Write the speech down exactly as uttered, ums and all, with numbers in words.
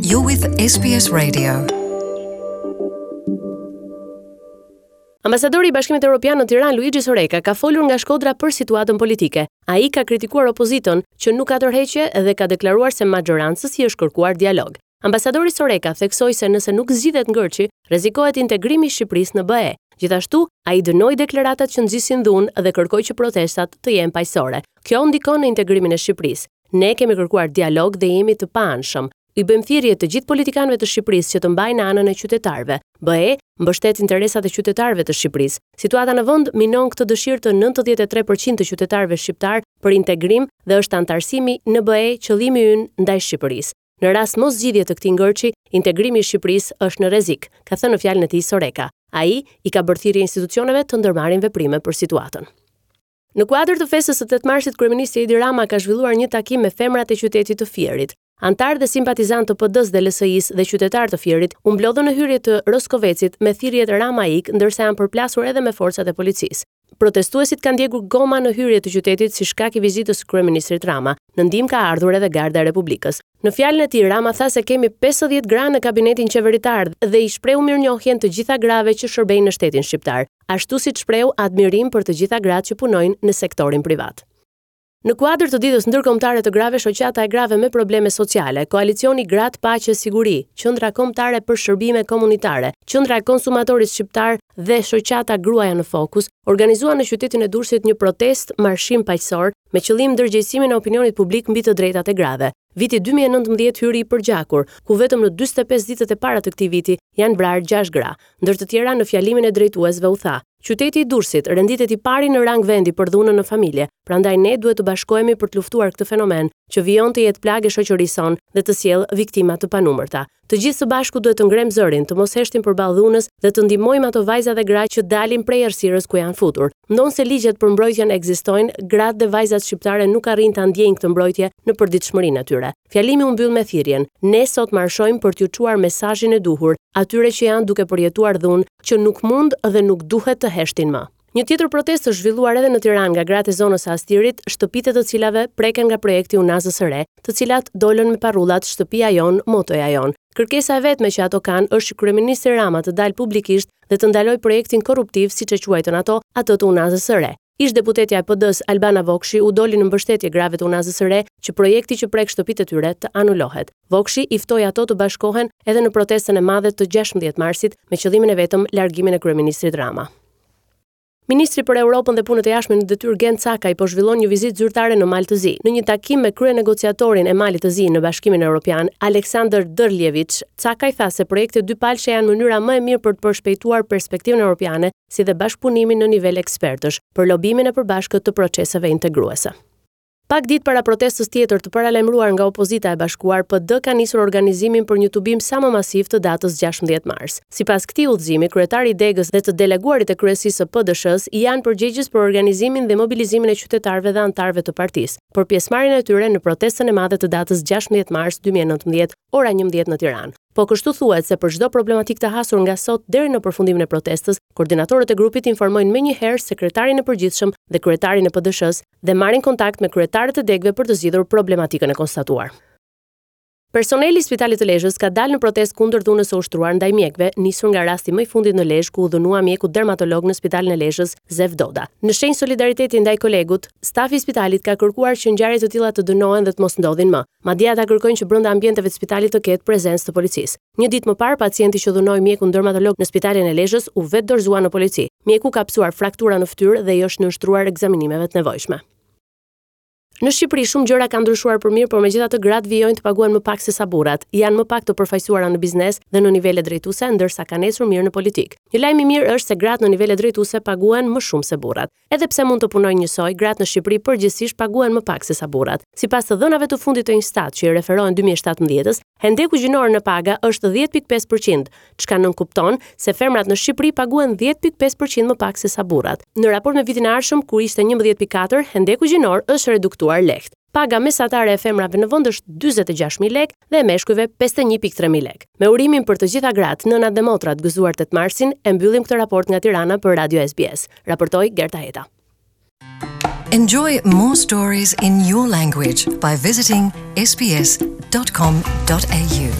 You're with S B S Radio. Ambasadori i Bashkimit Evropian në Tiranë, Luigi Soreka, ka folur nga Shkodra për situatën politike. Ai ka kritikuar opozitën që nuk ka tërheqje dhe ka deklaruar se maxhorancës i është kërkuar dialog. Ambasadori Soreka theksoi se nëse nuk zgjidhet ngërçi, rrezikohet integrimi i Shqipërisë në B E. Gjithashtu, ai dënoi deklaratat që nxisin dhunë dhe kërkoi që protestat të jenë paqësore. Kjo ndikon në integrimin e Shqipërisë. Ne kemi kërkuar dialog dhe jemi të paanshëm. I bëjmë thirrje të gjithë politikanëve të Shqipërisë që të mbajnë anën e qytetarëve. B E mbështet interesat e qytetarëve të Shqipërisë. Situata në vend minon këtë dëshirë të nëntëdhjetë e tre përqind të qytetarëve shqiptar për integrim dhe është antarësimi në B E qëllimi ynë ndaj Shqipërisë. Në rast mos zgjidhje të këtij ngërçi, integrimi i Shqipërisë është në rrezik, ka thënë në fjalën e tij Soreka. Ai i ka bërë thirrje institucioneve të ndërmarrin veprime për situatën. Në kuadër të festës së tetë marsit, kryeministri Edi Rama ka zhvilluar një takim me femrat e qytetit të Fierit. Antarë dhe simpatizantë të P D-s dhe L S I-s dhe qytetarë të Fierit u mblodhën në hyrje të Roskovecit me thirrjet "Rama ik", ndërsa janë përplasur edhe me forcat e policisë. Protestuesit kanë djegur goma në hyrje të qytetit si shkak i vizitës së kryeministrit Rama. Në ndihmë ka ardhur edhe Garda e Republikës. Në fjalën e tij, Rama tha se kemi pesëdhjetë gra në kabinetin qeveritar dhe i shprehu mirënjohjen të gjitha grave që shërbejnë në shtetin shqiptar, ashtu siç shprehu admirim për të gjitha gratë që punojnë në sektorin privat. Në kuadër të Ditës Ndërkombëtare të Grave, Shoqata e Grave me Probleme Sociale, Koalicioni Gratë Paqe Siguri, Qendra Kombëtare për Shërbime Komunitare, Qendra e Konsumatorit Shqiptar dhe Shoqata Gruaja në Fokus organizuan në qytetin e Durrësit një protest marshim paqësor me qëllim ndërgjegjësimin e opinionit publik mbi të drejtat e grave. Viti dy mijë e nëntëmbëdhjetë hyri i përgjakur, ku vetëm në dyzet e pesë ditët e para të këtij viti janë vrarë gjashtë gra. Ndër të tjera, në fjalimin e drejtuesve u tha: "Qyteti i Durrësit renditet i pari në rang vendi për dhunën në familje, prandaj ne duhet të bashkohemi për të luftuar këtë fenomen që vijon të jetë plagë e shoqërisë sonë dhe të sjellë viktima të panumërta. Të gjithë së bashku duhet të ngrem zërin, të mos heshtim përballë dhunës dhe të ndihmojmë ato vajza dhe gra që dalin prej errësirës ku janë futur. Ndonëse ligjet për mbrojtjen ekzistojnë, gratë dhe vajzat shqiptare nuk arrijnë ta ndjejnë këtë mbrojtje në përditshmërinë e tyre." Fjalimi u mbyll me thirrjen: "Ne sot marshojmë për t'ju çuar mesazhin e duhur atyre që janë duke përjetuar dhunë, që nuk mund dhe nuk duhet të heshtin më." Një tjetër protestë është zhvilluar edhe në Tiranë nga gratë e zonës së Astirit, shtëpitë e të cilave preken nga projekti Unazës së Re, të cilat dolën me parullat "Shtëpia jonë, motoja jonë". Kërkesa e vetme që ato kanë është që kryeministri Rama të dalë publikisht dhe të ndalojë projektin korruptiv, siç e quajtën ato, atë të Unazës së Re. Ish deputetja e P D-s Albana Vokshi u doli në mbështetje grave të Unazës së Re që projekti që prek shtëpitë e tyre të anulohet. Vokshi i ftoi ato të bashkohen edhe në protestën e madhe të gjashtëmbëdhjetë marsit me qëllimin e vetëm largimin e kryeministrit Rama. Ministri për Europën dhe Punët e Jashtme në detyrë, Gent Cakaj, po zhvillon një vizitë zyrtare në Mal të Zi. Në një takim me kryenegociatorin e Malit të Zi në Bashkimin Evropian, Aleksandr Dërljeviç, Cakaj tha se projektet dypalëshe janë mënyra më e mirë për të përshpejtuar perspektivën europiane, si dhe bashkëpunimin në nivel ekspertësh për lobimin e përbashkët të proceseve integruese. Pak ditë para protestës tjetër të paralajmëruar nga opozita e bashkuar, P D ka nisur organizimin për një tubim sa më masiv të datës gjashtëmbëdhjetë mars. Sipas këtij udhëzimi, kryetari i degës dhe të deleguarit e kryesisë së P D S-së janë përgjegjës për organizimin dhe mobilizimin e qytetarëve dhe anëtarëve të partisë, për pjesëmarrjen e tyre në protestën e madhe të datës gjashtëmbëdhjetë mars dy mijë e nëntëmbëdhjetë, ora njëmbëdhjetë në Tiranë. Po kështu thuhet se për çdo problematik të hasur nga sot deri në përfundimin e protestës, koordinatorët e grupit informojnë menjëherë sekretarin e përgjithshëm dhe kryetarin e P D S-së dhe marrin kontakt me kryetarët e degëve për të zgjidhur problematikën e konstatuar. Personeli i Spitalit të Lezhës ka dalë në protestë kundër dhunës së ushtruar ndaj mjekëve, nisur nga rasti më i fundit në Lezhë, ku u dhunua mjeku dermatolog në Spitalin e Lezhës, Zef Doda. Në shenjë solidariteti ndaj kolegut, stafi i spitalit ka kërkuar që ngjarje të tilla të dënohen dhe të mos ndodhin më. Madje, ata kërkojnë që brenda ambienteve të spitalit të ketë prezencë të policisë. Një ditë më parë, pacienti që dhunoi mjekun dermatolog në Spitalin e Lezhës u vetëdorëzua në polici. Mjeku ka pësuar fraktura në fytyrë dhe i është nënshtruar ekzaminimeve të nevojshme. Në Shqipëri shumë gjëra kanë ndryshuar për mirë, por megjithatë gratë vijojnë të paguhen më pak se sa burrat. Janë më pak të përfaqësuara në biznes dhe në nivele drejtuese, ndërsa kanë ecur mirë në politikë. Një lajm i mirë është se gratë në nivele drejtuese paguhen më shumë se burrat. Edhe pse mund të punojnë njësoj, gratë në Shqipëri përgjithsisht paguhen më pak se sa burrat. Sipas të dhënave të fundit të Instat, që i referohen dy mijë e shtatëmbëdhjetës, hendeku gjinor në paga është dhjetë pikë pesë përqind, çka nënkupton se femrat në Shqipëri paguhen dhjetë pikë pesë përqind më pak se sa burrat. Në raport me vitin e ardhshëm, ku ishte njëmbëdhjetë pikë katër, hendeku gjinor është reduktuar lehtë. Paga mesatare e femrave në vend është dyzet e gjashtë mijë lekë dhe e meshkujve pesëdhjetë e një pikë tre mijë lekë. Me urimin për të gjitha gratë, nënat dhe motrat "Gëzuar tetë marsin", e mbyllim këtë raport nga Tirana për Radio S B S. Raportoi Gerta Heta. Enjoy more stories in your language by visiting S B S dot com dot A U.